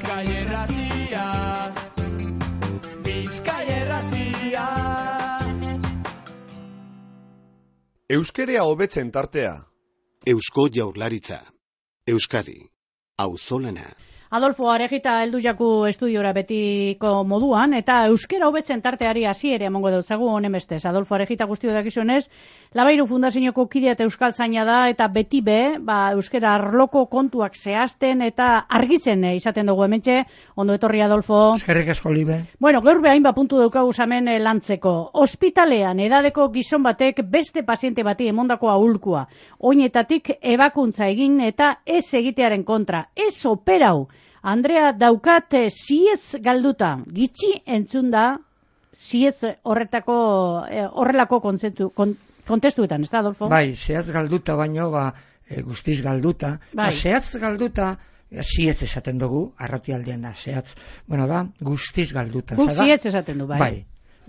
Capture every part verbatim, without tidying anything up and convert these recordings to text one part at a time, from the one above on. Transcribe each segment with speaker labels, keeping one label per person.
Speaker 1: Bizkai Irratia, Bizkai Irratia.
Speaker 2: Euskerea hobetzen tartea.
Speaker 3: Eusko Jaurlaritza. Euskadi. Auzolana.
Speaker 4: Adolfo Arejita heldu jaku estudiora betiko moduan, eta euskera hobetzen tarteari hasiera emango dutzagu honen bestez. Adolfo Arejita guztio dakizunez, Labairu Fundazioko kidea eta euskaltzaina da, eta beti be, ba, euskera arloko kontuak zehazten eta argitzen eh, izaten dugu hementxe. Ondo etorri, Adolfo.
Speaker 5: Eskerrik asko, Libe.
Speaker 4: Bueno, gaur behain ba puntu daukagu zamen eh, lantzeko. Ospitalean edadeko gizon batek beste paziente bati emondako aholkua. Oinetatik ebakuntza egin eta ez egitearen kontra. Ez operau. Andrea, daukat zietz galduta, gitxi entzun da zietz horretako, eh, horrelako kontzentu, kon, kontestuetan, ez da, Adolfo?
Speaker 5: Bai, zehatz galduta baino, ba, e, guztiz galduta.
Speaker 4: Bai.
Speaker 5: Ba, zehatz galduta, zietz esaten dugu, arratialdean da, zehatz. Bueno, da, guztiz galduta.
Speaker 4: Guk zietz esaten du, bai.
Speaker 5: Bai.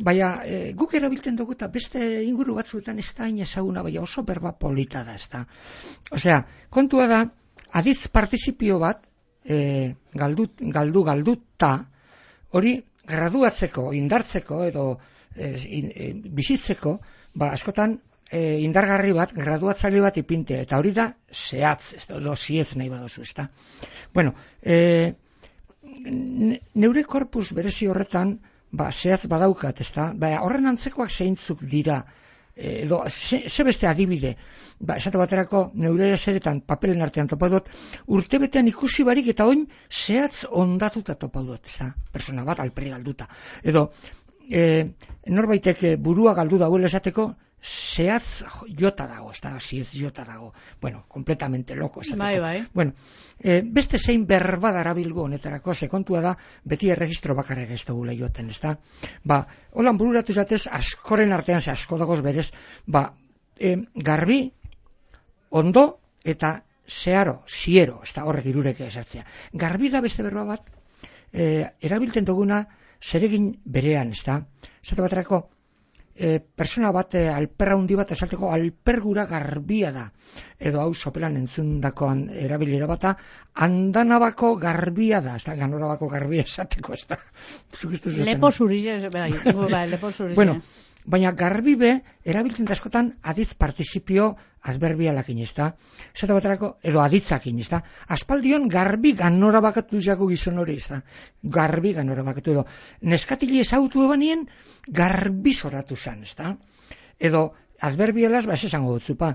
Speaker 5: Baina, e, guk erabiltzen dugu eta beste inguru batzuetan ez da hain ezaguna, baina oso berba polita da, ez da. Osea, kontua da, aditz partizipio bat, E, galdu, galdu galduta hori graduatzeko, indartzeko edo e, in, e, bizitzeko, ba, askotan e, indargarri bat, graduatzaile bat ipintea, eta hori da zehatz, ez da, zietz nahi badozu, ez da. Bueno, e, neure korpus berezi horretan, ba, zehatz badaukat, ez da, ba, horren antzekoak zeintzuk dira, edo, ze, ze beste adibide, ba, esate baterako neure eseretan papelen artean topau dut, urtebetean ikusi barik eta oin zehatz ondatuta topau dut, ez da, persona bat alperi galduta. Edo, e, norbaitek burua galdu dagoela esateko, zehatz jota dago, ez da, zietz jota dago. Bueno, completamente loko esateko.
Speaker 4: Bai, bai.
Speaker 5: Bueno, e, beste zein berba darabilgo honetarako, sekontua da, beti erregistro bakarrik ez dugula joten, ez da. Ba, holan bururatu zatez, askoren artean, ze asko dagoz berez, ba, e, garbi, ondo, eta zeharo, ziero, ez da horrek irurek esartzea. Garbi da beste berba bat, e, erabiltzen duguna zeregin berean, ez da. Zate baterako, E, persona bat e, alperra hundi bat esateko alpergura garbia da, edo hau sopelan entzundakoan erabilera bata andanabako garbia da, ez da, ganorabako garbia esateko, ez da.
Speaker 4: Lepo zuriz, bai, bai, lepo zuriz.
Speaker 5: Bueno, baina garbi be erabiltzen da askotan aditz participio adverbialakin, ez da, zeta baterako, edo aditzakin, ez da, aspaldion garbi ganora bakatu jako gizon hori, ez da, garbi ganora bakatu, edo neskatili ezautu ebanien garbi zoratu zan, ez da, edo adverbialaz, ba, ez esango dutzupa,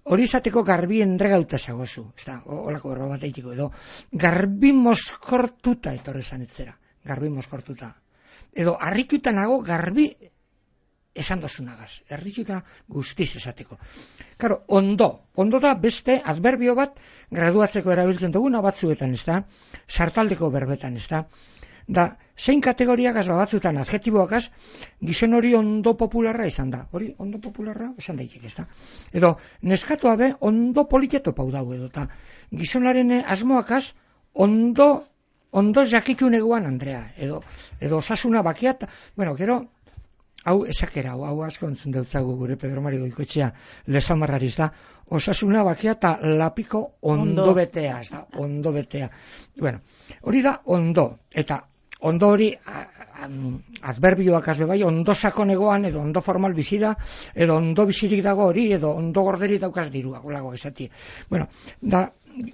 Speaker 5: hori izateko garbi endregauta zagozu, ez da, holako berba bat eitiko, edo garbi moskortuta etorri zan etzera, garbi moskortuta, edo harrikuta nago garbi esan dozunagaz, erritxuta guztiz esateko. Karo, ondo, ondo da beste adverbio bat graduatzeko erabiltzen duguna batzuetan, ez da, sartaldeko berbetan, ez da, da, zein kategoriakaz batzuetan adjetiboakaz, gizon hori ondo popularra izan da, hori ondo popularra esan daiteke, ez da, edo, neskatoa be, ondo politeto pau dago edo, eta gizonaren asmoakaz, ondo, ondo jakikun eguan, Andrea, edo, edo osasuna bakiat, bueno, gero, hau esakera, hau, hau asko entzun deutzagu gure Pedro Mari Goikoetxea lezamarrariz da, osasuna bakia eta lapiko ondo, ondo betea, ez da, ondo betea. Bueno, hori da ondo, eta ondo hori adverbioak azbe bai, ondo sakonegoan, edo ondo formal bizira, edo ondo bizirik dago hori, edo ondo gorderi daukaz dirua, golago esati. Bueno, da,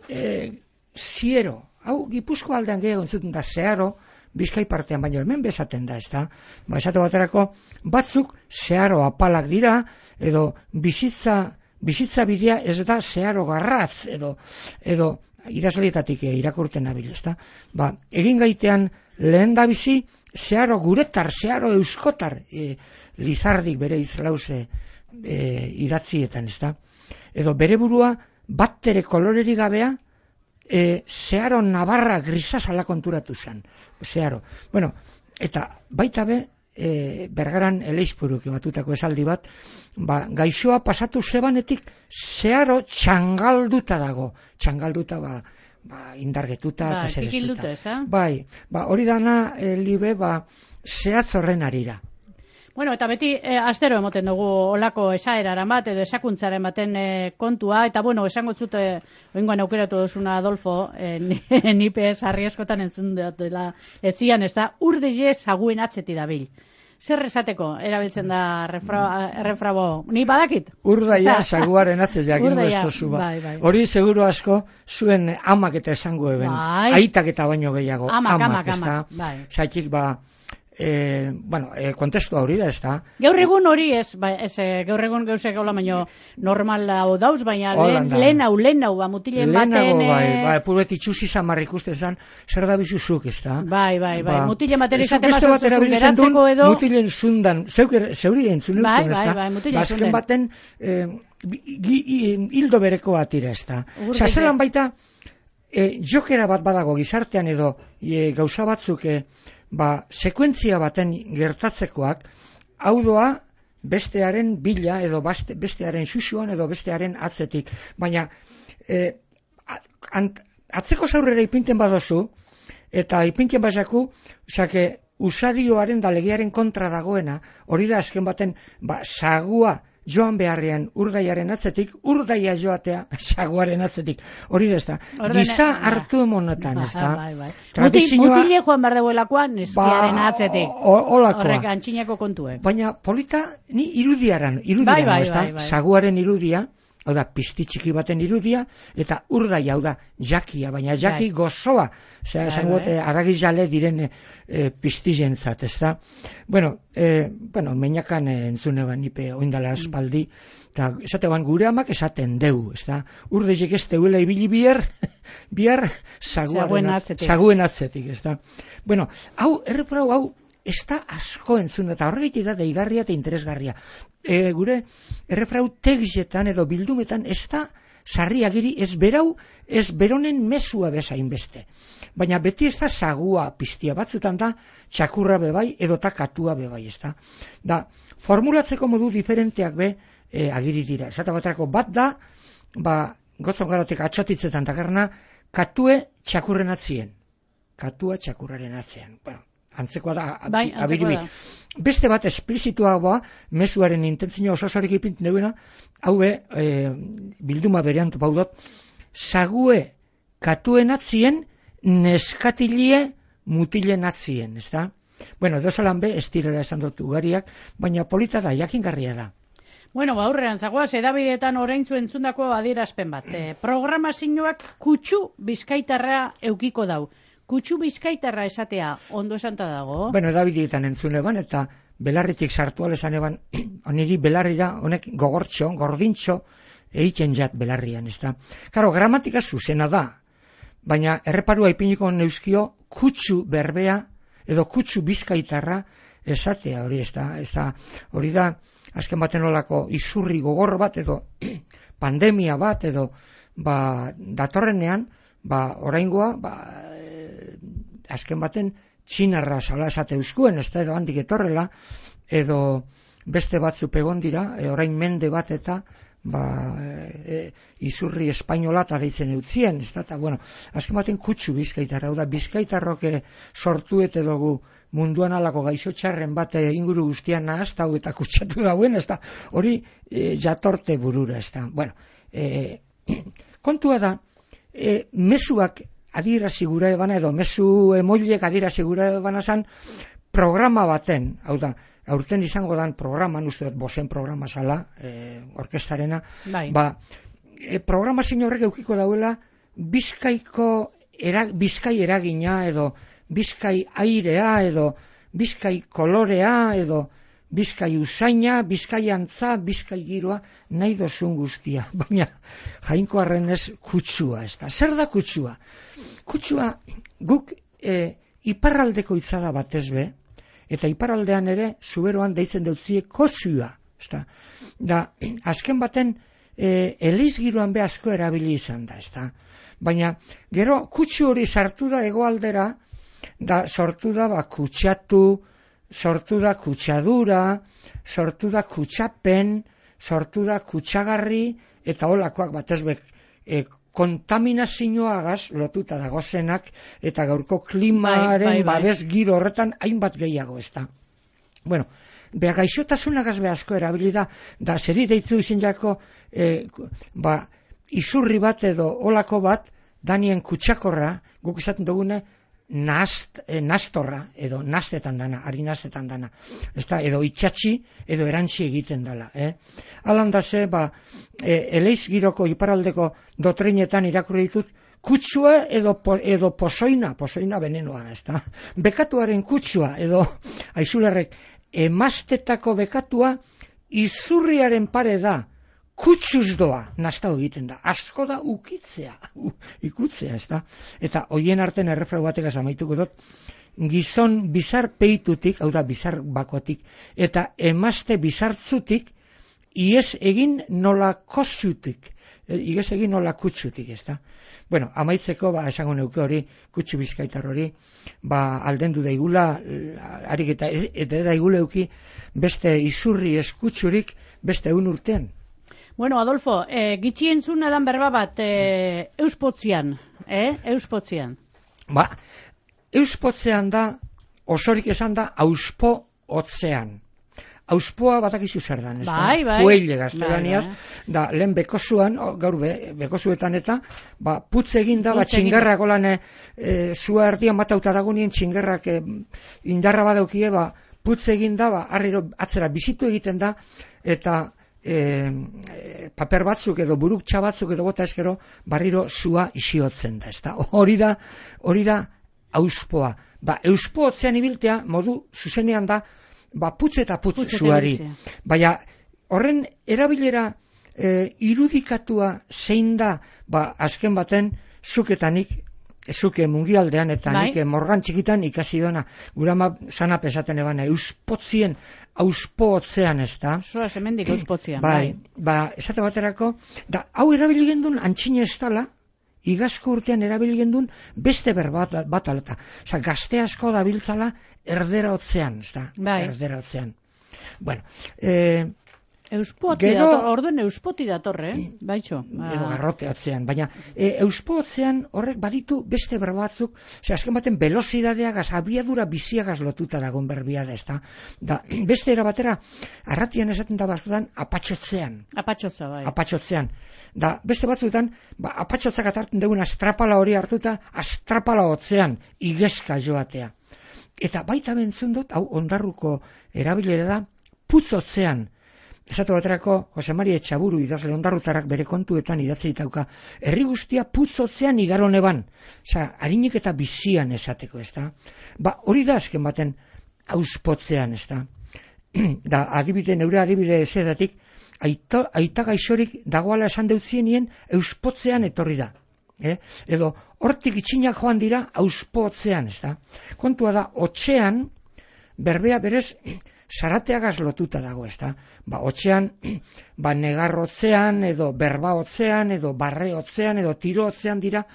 Speaker 5: e, ziero, hau Gipuzko aldean gehiago entzuten da, zeharo, Bizkai partean baino hemen bezaten da, ez da. Ba, esate baterako, batzuk zeharo apalak dira, edo bizitza, bizitza bidea ez da zeharo garratz, edo, edo idazleetatik irakurten nabil, ez da. Ba, egin gaitean lehen da bizi, zeharo guretar, zeharo euskotar, e, lizardik bere izlauze e, idatzietan, ez da. Edo bere burua battere koloreri gabea, E, zeharo nabarra grisazala konturatu zen, zeharo. Bueno, eta baita be, e, bergaran eleizpuruk batutako esaldi bat, ba, gaixoa pasatu zebanetik zeharo txangalduta dago, txangalduta ba, ba indargetuta,
Speaker 4: ba, kikilduta, ez da?
Speaker 5: Bai, ba, hori dana, e, libe, ba, zehatz horren arira.
Speaker 4: Bueno, eta beti eh, astero emoten dugu olako esaeraren bat edo esakuntzaren baten eh, kontua, eta bueno, esango zute oingoan aukeratu duzuna Adolfo, eh, nipe sarri askotan entzun dela etzian, ez da, urdile saguen atzeti dabil. Zer esateko erabiltzen da refra, errefrabo? Ni badakit?
Speaker 5: Urdaia saguaren atzez jakin bestozu ba.
Speaker 4: Bai, bai.
Speaker 5: Hori seguru asko zuen amak eta esango eben.
Speaker 4: Bai.
Speaker 5: Aitak eta baino gehiago.
Speaker 4: Amak, amak,
Speaker 5: amak, ez da.
Speaker 4: amak, bai.
Speaker 5: Zaitik ba, eh, bueno, eh, kontestu hori da, ez da.
Speaker 4: Gaur egun hori ez, ba, ez eh, gaur egun gauzek gaula baino normal hau dauz, baina lehen,
Speaker 5: Holanda.
Speaker 4: lehen hau, lehen hau, ba, mutilen baten...
Speaker 5: Lehenago, bai,
Speaker 4: eh,
Speaker 5: bai, purbet itxusi zamar ikusten zan, zer da bizuzuk, ez da.
Speaker 4: Bai, bai, bai,
Speaker 5: Ba,
Speaker 4: mutilen baten
Speaker 5: zuk
Speaker 4: izaten
Speaker 5: beste bat
Speaker 4: bazuzu
Speaker 5: erabiltzen duen,
Speaker 4: geratzeko edo...
Speaker 5: Mutilen zundan, zeuk ere- zeuri entzun
Speaker 4: Bai,
Speaker 5: entzun, ez
Speaker 4: bai,
Speaker 5: da.
Speaker 4: bai, mutilen
Speaker 5: Bazken
Speaker 4: zunden.
Speaker 5: baten, eh, gi- gi- hildo bereko atira, ez da.
Speaker 4: Urdeke.
Speaker 5: Osea, zelan baita, eh, jokera bat badago gizartean edo eh, gauza batzuk eh, ba, sekuentzia baten gertatzekoak, hau doa bestearen bila edo baste, bestearen xuxuan edo bestearen atzetik. Baina eh, a- ant- atzeko zaurrera ipinten badozu, eta ipinten bazaku, osake, usadioaren da legearen kontra dagoena, hori da azken baten, ba, sagua joan beharrean urdaiaren atzetik, urdaia joatea saguaren atzetik. Hori da ez da.
Speaker 4: Ordene-
Speaker 5: Giza
Speaker 4: ah,
Speaker 5: hartu emonetan, ez da.
Speaker 4: Bai, bai. Muti,
Speaker 5: Tradizioa-
Speaker 4: mutile joan behar deuelakoan neskiaren
Speaker 5: Ba,
Speaker 4: atzetik.
Speaker 5: o- olakoa.
Speaker 4: Horrek antxinako kontuek.
Speaker 5: Baina polita ni irudiaran, irudiaran,
Speaker 4: Bai, bai,
Speaker 5: ez da?
Speaker 4: bai, bai.
Speaker 5: Saguaren irudia, hau da, pizti txiki baten irudia, eta urdaia, hau da, jakia, baina jaki
Speaker 4: Bai.
Speaker 5: gozoa. Osea,
Speaker 4: Bai,
Speaker 5: esango
Speaker 4: bai.
Speaker 5: aragi jale diren e, piztizentzat, ez da? Bueno, e, bueno, meinakan e, entzune ban nipe oindala aspaldi, eta esate ban gure amak esaten deu, ez da? Urdeiek ez deuela ibili bihar, bihar
Speaker 4: Saguen
Speaker 5: saguaren atz-
Speaker 4: atzetik.
Speaker 5: saguen atzetik, ez da? Bueno, hau, erreprau, hau, ez da asko entzun, eta horregatik da deigarria eta interesgarria. E, gure errefrau tegzetan edo bildumetan ez da sarri agiri, ez berau, ez beronen mesua bezain beste. Baina beti ez da sagua piztia, batzutan da txakurra bebai edota katua bebai, ez da. Da, formulatzeko modu diferenteak be e, agiri dira. Esata baterako bat da, ba, gotzon garatek atxotitzetan takarna, katue txakurren atzien. Katua txakurraren atzean. Bueno, antzekoa da,
Speaker 4: Bai, antzekoa
Speaker 5: abiribi.
Speaker 4: da.
Speaker 5: Beste bat esplizituagoa, mezuaren intentzio ososarik ipintzen duena, hau be, e, bilduma berean topaudot, sague katuen atzien, neskatilie mutilen atzien, ez da? Bueno, dozalan be, estirera esan dut ugariak, baina polita da, jakingarria da.
Speaker 4: Bueno, ba, aurrean, zagoaz, edabideetan oraintzu entzundako adierazpen bat. E, programazioak kutsu bizkaitarra eukiko dau. Kutsu bizkaitarra esatea ondo esanta dago?
Speaker 5: Bueno, edabidietan entzun eban, eta belarritik sartu alesan eban, oniri belarrira, honek gogortxo, gordintxo, egiten jat belarrian, ez da. Karo, gramatika zuzena da, baina erreparua ipiniko neuskio kutsu berbea, edo kutsu bizkaitarra esatea hori, ez da, ez da, hori da, azken baten olako izurri gogor bat, edo pandemia bat, edo, ba, datorrenean, ba, oraingoa, ba, e, azken baten, txinarra sala esate euskuen, ez da, edo handik etorrela, edo beste batzu pegon dira, e, orain mende bat eta, ba, e, izurri espainola eta deitzen eutzien, ez da, eta, bueno, azken baten kutsu bizkaitarra, hau da, bizkaitarrok e, sortu eta dugu munduan alako gaixo txarren bat e, inguru guztian nahaztau eta kutsatu dauen, ez da, hori e, jatorte burura, ez da, bueno, e, kontua da, e, mezuak adierazi gura ebana, edo mezu emoilek adierazi gura ebana zan, programa baten, hau da, aurten izango dan programan, uste dut bosen programa zala, e, orkestarena,
Speaker 4: Bai.
Speaker 5: ba, e, programa zein horrek eukiko dauela, bizkaiko, era, bizkai eragina, edo bizkai airea, edo bizkai kolorea, edo bizkai usaina, bizkai antza, bizkai giroa, nahi dozun guztia. Baina, jainko arrenez kutsua, ez da. Zer da kutsua? Kutsua, guk e, iparraldeko itzada batez be, eta iparraldean ere, zuberoan deitzen deutzie kozua, ez da. Da, azken baten, e, elizgiroan be asko erabili izan da, ez da. Baina, gero, kutsu hori sartu da hegoaldera, da sortu da ba, kutsatu, sortu da kutsadura, sortu da kutsapen, sortu da kutsagarri, eta holakoak batez be, e, kontaminazioagaz lotuta dagozenak, eta gaurko klimaren
Speaker 4: Bai, bai, bai.
Speaker 5: babes giro horretan hainbat gehiago, ez da. Bueno, beha gaixotasunagaz be asko erabili da, da zeri deitzu izin jako, e, ba, izurri bat edo olako bat, danien kutsakorra, guk esaten dugune, Nast, eh, nastorra, edo nastetan dana, ari nastetan dana, ezta, edo itxatxi, edo erantzi egiten dela. Eh? Alan da ze, ba, e, eleiz giroko iparaldeko dotrinetan irakurri ditut, kutsua edo, po, edo pozoina, pozoina venenoa, ezta. Bekatuaren kutsua, edo, aizularrek, emastetako bekatua, izurriaren pare da, kutsuz doa, nastau egiten da. Asko da ukitzea, u, ikutzea, ez da. Eta hoien artean errefrau batek amaituko dut, gizon bizar peitutik, hau da bizar bakotik, eta emazte bizartzutik, iez egin nola kozutik, e, iez egin nola kutsutik, ez da. Bueno, amaitzeko, ba, esango neuke hori, kutsu bizkaitar hori, ba, aldendu daigula, harik eta, eta daigula euki, beste izurri eskutsurik, beste egun urtean.
Speaker 4: Bueno, Adolfo, eh, gitxi entzun edan berba bat, eh, euspotzian, eh, euspotzian.
Speaker 5: Ba, euspotzean da, osorik esan da, auspo otzean. Auspoa batakizu zer dan, ez
Speaker 4: bai,
Speaker 5: da?
Speaker 4: Bai,
Speaker 5: Fueile gaztelaniaz,
Speaker 4: bai, bai.
Speaker 5: Da, lehen bekosuan, o, gaur be, bekosuetan eta, ba, putz egin da, ba, txingarrak olan, e, zua erdian bat autaragunien txingarrak e, indarra badaukie, ba, putz egin da, ba, arriro atzera bizitu egiten da, eta E, e, paper batzuk edo buruk batzuk edo bota eskero barriro zua isiotzen da, ezta? Hori da, hori da auspoa. Ba, euspo otzean ibiltea modu zuzenean da, ba, putz eta putz, putz zuari. Baina horren erabilera e, irudikatua zein da, ba, azken baten zuketanik, zuke mungialdean eta bai. Nik morgan txikitan ikasi dona, gura ma sanap esaten ebana, euspotzien, auspotzean ez da.
Speaker 4: Zoa zemendik euspotzean.
Speaker 5: Bai, bai, ba, esate baterako, da, hau erabili gendun antxine ez dala, igazko urtean erabili gendun beste berbat bat alata. Osa, gazte asko da biltzala erdera otzean, ez da, bai. Erdera otzean. Bueno, eh,
Speaker 4: Euspoti
Speaker 5: gero,
Speaker 4: dator, orduen euspoti datorre, eh? Baitxo.
Speaker 5: Edo garrote atzean, baina e, euspo atzean horrek baditu beste berbatzuk, ze azken baten velozidadeagaz, abiadura biziagaz lotuta dagoen berbia da, ez da. Da, beste era batera, arratian esaten da bazutan, apatxotzean.
Speaker 4: Apatxotza, bai.
Speaker 5: Apatxotzean. Da, beste batzutan, ba, apatxotzak atartzen dugun astrapala hori hartuta, astrapala otzean, igezka joatea. Eta baita bentzun dut, hau ondarruko erabilera da, putzotzean. Esatu baterako, Jose Maria Etxaburu idazle ondarrutarrak bere kontuetan idatzi ditauka, herri guztia putzotzean igarone ban, oza, harinik eta bizian esateko, ez da? Ba, hori da azken baten auspotzean, ez da? Da, adibide, neure adibide ezedatik, aita, aita gaixorik dagoala esan deutzienien euspotzean etorri da. Eh? Edo, hortik itxinak joan dira auspotzean, ez da? Kontua da, otxean, berbea berez, zarateagaz lotuta dago, ez da? Ba, otzean, ba, negarrotzean, edo berbaotzean, edo barreotzean, edo tirootzean dira,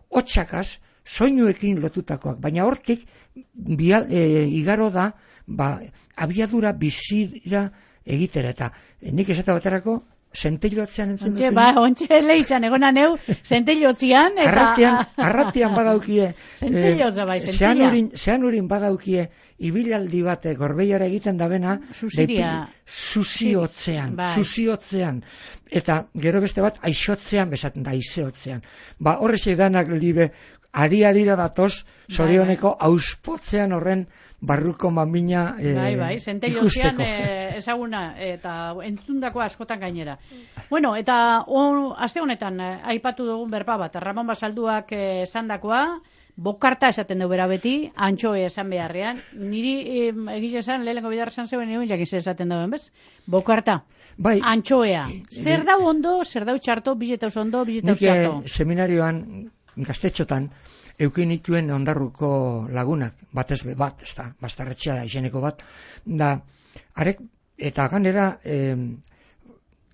Speaker 5: otxakaz, soinuekin lotutakoak. Baina hortik, bia, e, igaro da, ba, abiadura bizira egitera. Eta nik esate baterako, zenteilotzean entzun duzu?
Speaker 4: Ba, ontxe lehitzan, egona neu, zenteilotzean, eta...
Speaker 5: Arratian, arratian badaukie...
Speaker 4: Zenteilotza bai, zenteila.
Speaker 5: Zean urin badaukie, ibilaldi bate gorbeiara egiten dabena...
Speaker 4: Susiria.
Speaker 5: Susiotzean, bai. Susiotzean. Eta gero beste bat, aixotzean bezaten da, aizeotzean. Ba, horrexek danak libe, ari-arira datoz, zorioneko bai, bai. Auspotzean horren barruko mamina eh,
Speaker 4: bai, bai, zenteilotzean eh, ezaguna eta entzundako askotan gainera. Bueno, eta on, aste honetan eh, aipatu dugun berba bat, Ramon Basalduak esandakoa, eh, bokarta esaten du bera beti, antxoe esan beharrean. Niri eh, egiz esan, lehenko bidar esan zeuen, egun jakiz esaten duen, bez? Bokarta. Bai. Antxoea. Zer dau ondo, zer dau txarto, bizetauz ondo, bizetauz txarto.
Speaker 5: Nik seminarioan, gaztetxotan, eukin ituen ondarruko lagunak, batez be bat, ez da, bastarretxea da, izeneko bat, da, arek, eta ganera, eh,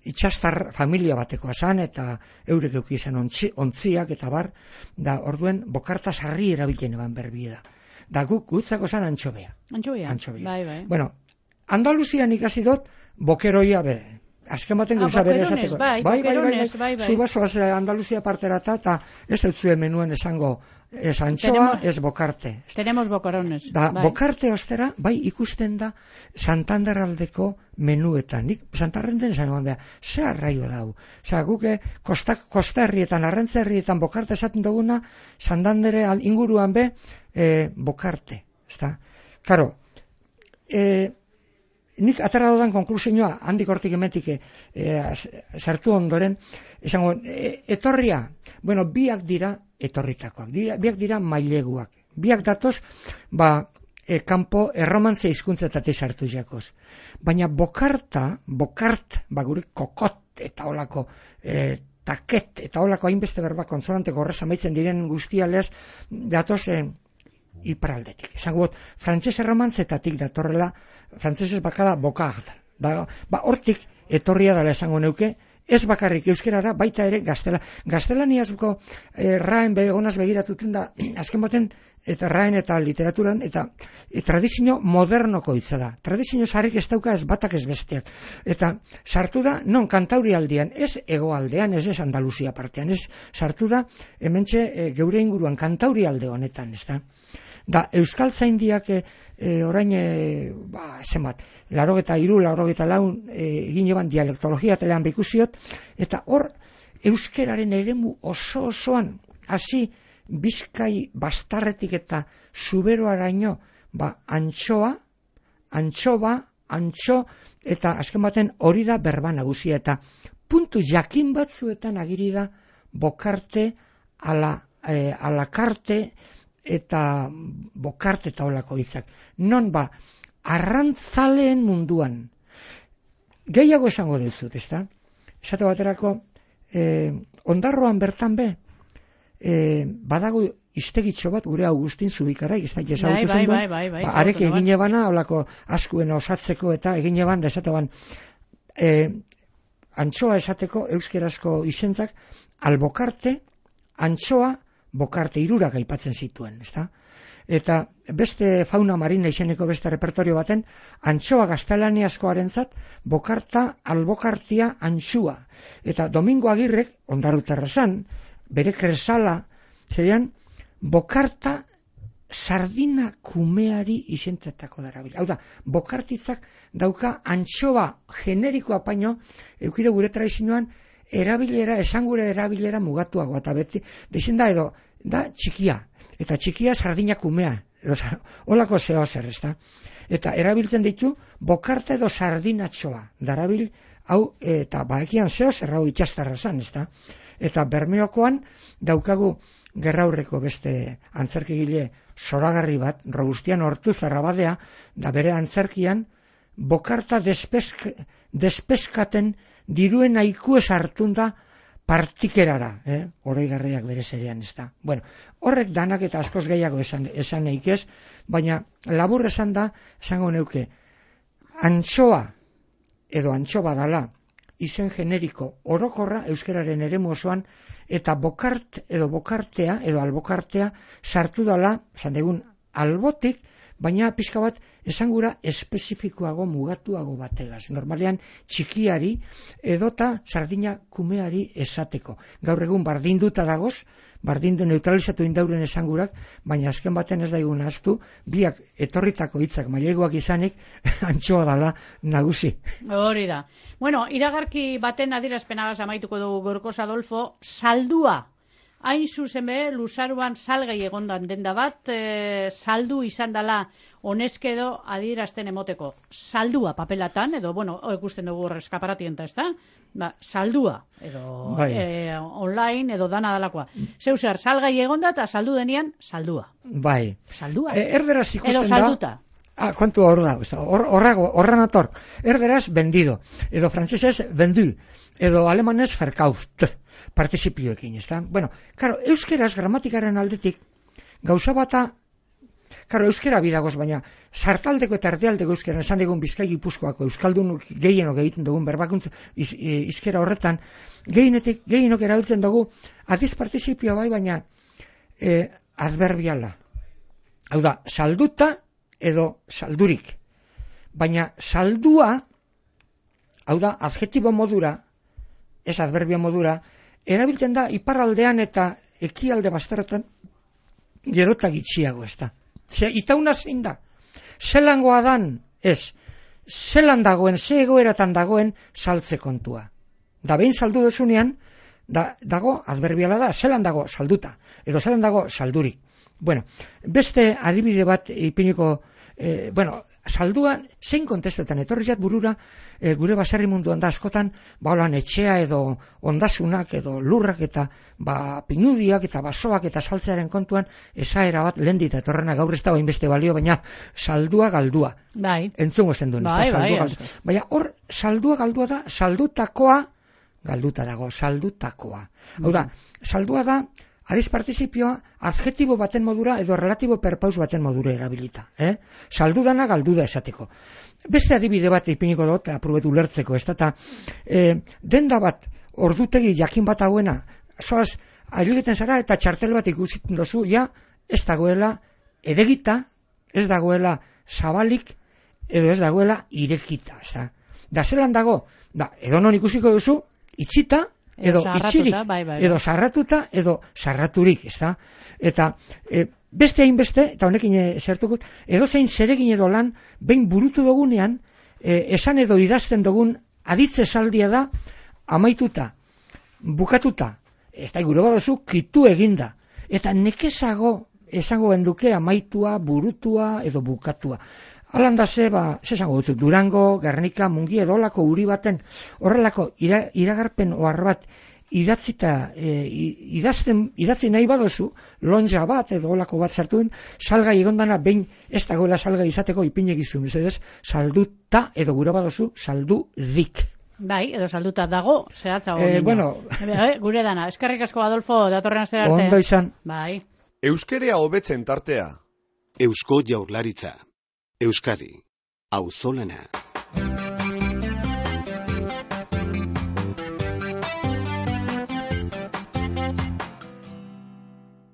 Speaker 5: itxastar familia batekoa zan, eta eurek euki izan ontzi, ontziak, eta bar, da, orduen, bokarta sarri erabiltzen eban berbida. Da, guk, gutzako zan antxobea.
Speaker 4: Antxobea,
Speaker 5: antxobea.
Speaker 4: Bai, bai.
Speaker 5: Bueno, Andaluzian ikasi dut, bokeroia be, azken baten
Speaker 4: Ah,
Speaker 5: gauza bere
Speaker 4: boquerones,
Speaker 5: esateko.
Speaker 4: bai,
Speaker 5: bai, bai, bai,
Speaker 4: boquerones, bai, bai.
Speaker 5: Zu bazoaz Andaluzia parterata, eta ez dut zuen menuen esango, ez antxoa,
Speaker 4: Tenemos-
Speaker 5: ez bokarte.
Speaker 4: Tenemos boquerones.
Speaker 5: Da,
Speaker 4: bai.
Speaker 5: bokarte ostera, bai, ikusten da Santander aldeko menuetan. Nik Santarrenden esan da, ze arraio dau. Osea, guk eh, kosta, kosta herrietan, arrantza herrietan bokarte esaten duguna, Santandere al- inguruan be, eh, bokarte. Ezta? Karo, eh, nik atera dudan konklusioa, handik hortik emetik eh, sartu ondoren, esango, e, etorria, bueno, biak dira etorritakoak, dira, biak dira maileguak, biak datoz, ba, e, kanpo erromantze hizkuntzetatik sartu jakoz. Baina bokarta, bokart, ba, gure kokot eta olako, e, taket eta olako hainbeste berba konsonante gorrez amaitzen diren guztialez, datoz, e, iparaldetik. Esango bot, frantses erromantzetatik datorrela, frantsesez bakala bokart. Da, ba, hortik etorria dela esango neuke, ez bakarrik euskerara, baita ere gaztela. Gaztelaniazko eh, raen begonaz begiratuten da, azken baten, eta raen eta literaturan, eta e, tradizio modernoko hitza da. Tradizio sarrik ez dauka ez batak ez besteak. Eta sartu da, non kantauri aldean, ez hegoaldean, ez ez Andaluzia partean, ez sartu da, hementxe e, geure inguruan kantauri alde honetan, ez da. Da, Euskal Zaindiak e, e, orain, e, ba, zenbat, larogeta iru, larogeta laun, e, egin eban dialektologia telean bikusiot, eta hor, euskeraren eremu oso osoan, hasi Bizkai bastarretik eta zuberoaraino, ba, antxoa, antxoba, antxo, eta azken baten hori da berba nagusia, eta puntu jakin batzuetan agiri da bokarte, ala, e, alakarte, eta bokarte eta olako hitzak. Non ba, arrantzaleen munduan, gehiago esango dizut, ezta? Esate baterako, eh, ondarroan bertan be, eh, badago iztegitxo bat gure Augustin Zubikara, ez da
Speaker 4: Bai,
Speaker 5: ezagutu
Speaker 4: bai,
Speaker 5: zen
Speaker 4: bai, bai, bai,
Speaker 5: ba, arek
Speaker 4: ezagutu
Speaker 5: egin ebana, olako askuen osatzeko eta egin eban, da esate ban, eh, antxoa esateko euskerazko izentzak, albokarte, antxoa, bokarte irurak aipatzen zituen, ezta? Eta beste fauna marina izeneko beste repertorio baten, antxoa gaztelaniazkoarentzat, bokarta, albokartia, antxua. Eta Domingo Agirrek, ondaruterra zan, bere kresala, zerian, bokarta sardina kumeari izentetako darabil. Hau da, bokartitzak dauka antxoa generikoa paino, eukide gure tradizioan, erabilera, esangure erabilera mugatuago, eta beti, deixen da edo, da txikia, eta txikia sardina kumea, edo holako zeo zer, ez da? Eta erabiltzen ditu, bokarta edo sardinatxoa, darabil, hau, eta baekian zeo zer hau itxastarra zan, ez da? Eta Bermeokoan daukagu gerraurreko beste antzerkigile zoragarri bat, Robustian Ortuzarra badea, da bere antzerkian, bokarta despesk, despeskaten diruen aiku ez hartun da partikerara, eh? Oroigarriak bere zerean, ez da. Bueno, horrek danak eta askoz gehiago esan, esan neik ez, baina labur esan da, esango neuke, antxoa edo antxoba dala, izen generiko orokorra euskararen eremu osoan, eta bokart edo bokartea edo albokartea sartu dala, esan degun, albotik, baina pixka bat esangura espezifikoago mugatuago bategaz. Normalean txikiari edota sardina kumeari esateko. Gaur egun bardinduta dagoz, bardindu neutralizatu indauren esangurak, baina azken baten ez daigun ahaztu, biak etorritako hitzak maileguak izanik, antxoa dala nagusi.
Speaker 4: Hori da. Bueno, iragarki baten adierazpenagaz amaituko dugu Gorkoz Adolfo, saldua. Hain zuzen be, luzaruan salgai egondan denda bat, e, saldu izan dela oneskedo adierazten emoteko. Saldua papelatan, edo, bueno, ikusten dugu eskaparatienta, ez da? Ba, saldua, edo
Speaker 5: bai.
Speaker 4: e, online, edo dana dalakoa. Zeu zer, salgai egonda eta saldu denian, saldua.
Speaker 5: Bai.
Speaker 4: Saldua.
Speaker 5: E, erderaz ikusten
Speaker 4: edo
Speaker 5: da...
Speaker 4: salduta.
Speaker 5: Ah, kontu hor da, horrago, horran ator. Erderaz, vendido. Edo frantzesez, vendu. Edo alemanez, verkauft. Participioekin, ez da? Bueno, karo, euskeraz, gramatikaren aldetik, gauza bata, karo, euskera bidagoz, baina, sartaldeko eta erdialdeko euskera, esan dugun Bizkai Gipuzkoako, euskaldun gehienok egiten dugun berbakuntz iz, izkera horretan, gehienetik, gehienok erabiltzen dugu, adiz participioa bai, baina, e, adverbiala. Hau da, salduta, edo saldurik. Baina saldua hau da, adjetibo modura, ez adverbio modura, erabiltzen da iparraldean eta ekialde bazterretan gerota gitxiago, ez da. Ze, itauna zein da? Zelangoa dan, ez, zelan dagoen, ze egoeratan dagoen saltze kontua. Da behin saldu dozunean, da, dago, adverbiala da, zelan dago salduta, edo zelan dago saldurik. Bueno, beste adibide bat ipiniko, eh, bueno, salduan, zein kontestuetan, etorri zat burura, e, gure baserri munduan da askotan, ba holan etxea edo ondasunak edo lurrak eta ba pinudiak eta basoak eta saltzearen kontuan esaera bat lendita etorrena gaur ez da hainbeste balio, baina saldua galdua.
Speaker 4: Bai.
Speaker 5: Entzungo zen duen,
Speaker 4: bai,
Speaker 5: ez da, saldua
Speaker 4: bai,
Speaker 5: galdua. Baina hor, saldua galdua da, saldutakoa, galduta dago, saldutakoa. Hau da, saldua da, adiz partizipioa, adjetibo baten modura edo relatibo perpaus baten modura erabilita. Eh? Saldudana galduda esateko. Beste adibide bat ipiniko dut, aprobetu ulertzeko, ez da, e, denda bat, ordutegi jakin bat hauena, zoaz, ailegeten zara eta txartel bat ikusten dozu, ja, ez dagoela edegita, ez dagoela zabalik, edo ez dagoela irekita. Ez da, da zelan dago, da, edo non ikusiko duzu, itxita, edo itxirik,
Speaker 4: bai, bai,
Speaker 5: edo sarratuta, edo sarraturik, ez da? Eta e, beste hainbeste, eta honekin zertukut, edo zein zeregin edo lan, behin burutu dugunean, e, esan edo idazten dugun aditze saldia da, amaituta, bukatuta, ez da, gure badozu, kitu eginda. Eta nekezago esango genduke amaitua, burutua, edo bukatua. Alanda ze, ba, zesango dutzu, Durango, Gernika, Mungi edolako uri baten, horrelako ira, iragarpen ohar bat idatzita, e, idazten, idatzi nahi badozu, lonja bat edo olako bat sartuen, salgai egondana behin ez dagoela salgai izateko ipinegizun, ez salduta edo gure badozu, saldu dik.
Speaker 4: Bai, edo salduta dago, zehatza
Speaker 5: eh, bueno,
Speaker 4: e, gure dana, eskerrik asko Adolfo, datorren astera arte.
Speaker 5: Ondo izan.
Speaker 4: Bai.
Speaker 2: Euskerea hobetzen tartea.
Speaker 3: Eusko Jaurlaritza. Euskadi. Auzolana.